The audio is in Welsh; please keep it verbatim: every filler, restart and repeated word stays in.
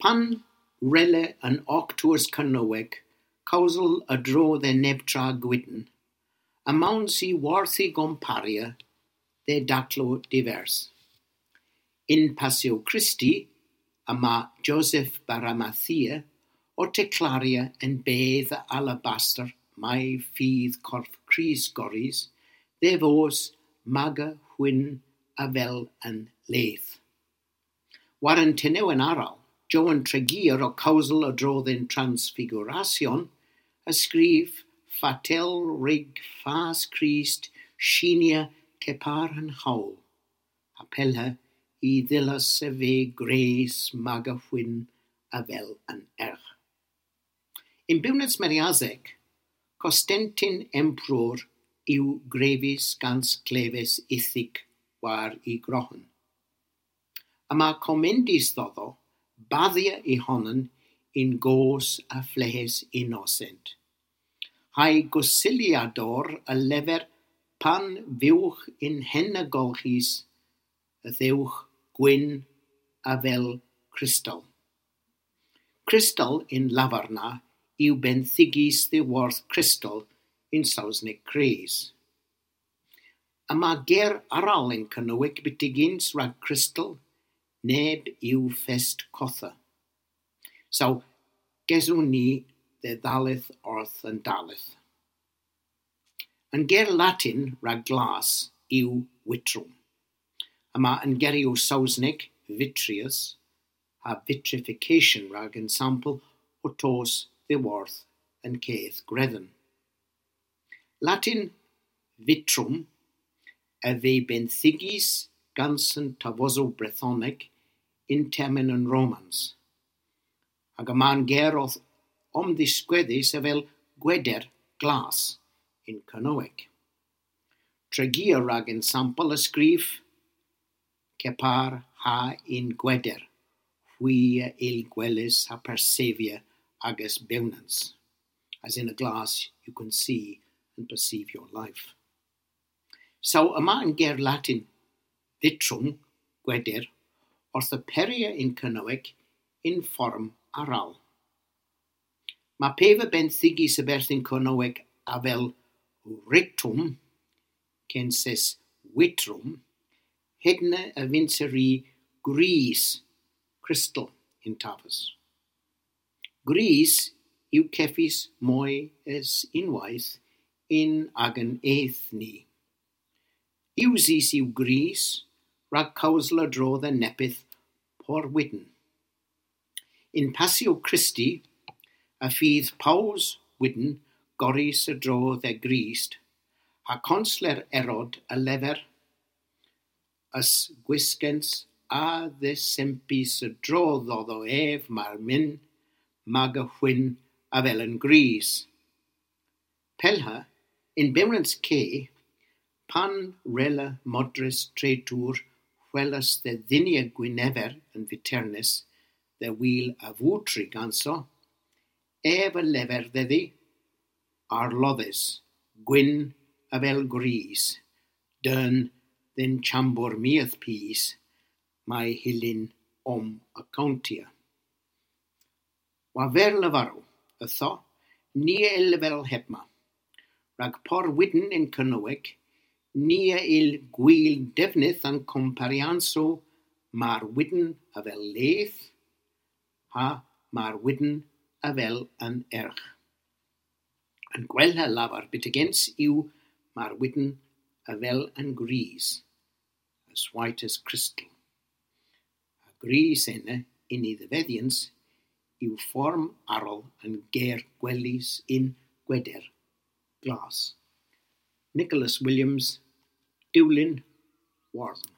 Pan rele yn Octws Cernyweg, cawsel y dro dde nebtra gwydn, a mawn si warthi gomparia de daclo divers. In Passio Christi, y ma Joseph Baramathia o teclaria en bedd alabaster mai ffydd corff Crist goris, dde fos maga hwyn a fel yn leth. War yn tenew yn aral, Joan Tregear o cawsel y drodd yn Transfiguration, a sgrif fatel rig fas Crist sinia cepar yn hawl, a pelha i ddilas y fe gres maga hwyn a fel yn erch. In Bwnets Meriazec, Constantin Emperor yw grefus gans clefes ithig war i grohen. A mae comendis ddoddo, baddia i honan in gos a flehes innocent. Hai gosiliador y lefer pan fywch in hen y golchis, y ddewch gwyn a fel crystal. Crystal in lafarna yw benthigis ddiwarth crystal in Saesneg cres. A mae ger aral yn Cernyweg bitigins rhag crystal, neb yw fest cotha. So, geswn ni dde ddalith orth yn dalith. Yn ger Latin rhag glas yw vitrum. A mae yn gerio Saesneg vitreous a vitrification rhag yn sampl o tos ddiwarth yn ceth gredden. Latin vitrum a fe benthigis gans yn tavoso Brythoneg in termin yn Romans. Ac y ma'n ger o'th omddisgweddus a fel gweder glas in Cernyweg. Tregear rhag yn sampl y sgrif cepar ha in gweder, hwy a il gwelus ha persevia agus bewnans. As in a glass you can see and perceive your life. So yma yn ger Latin vitrum, gweder, wrth y peria in Cernyweg in fform aral. Mae pef y benthigis y berthyn Cernyweg a fel ritum, censes vitrum, hedna y finseri gris, crystal in tafas. Gris yw ceffis mwy es unwaith in ag yn eith ni. Iwsis yw gris, rhag cawsel y drodd y nepydd porwydn. In Passio Christi, a ffydd paws wydn goris y drodd e Grist, a consler erod y lefer, ys gwisgens a ddesempis y drodd oddo ef mae'r myn, mag y hwyn a fel yn gris. Pelha, in bewnans ce, pan rela modres treitŵr hwelas dde ddinia Gwynefer yn fiternis, dde wyl a fwtri ganso, ef y lefer ddeddi, arloddus, gwyn a fel gris, dyn ddyn chambwr miath pys, mae hilyn om y countia. Wa fer lefarw, ytho, ni il fel hebma. Rhag por wydn in Cernyweg, ni a il gwyl defnydd an comparianso mae'r wydn a fel leth, a mae'r wydn a fel yn erch. Yn gwella lafar bit against yw mae'r wydn a fel yn gris, as white as crystal. A gris enna in i ddefeddians yw fform arol yn ger gwelys in gweder glas. Nicholas Williams, Dulyn, Warden.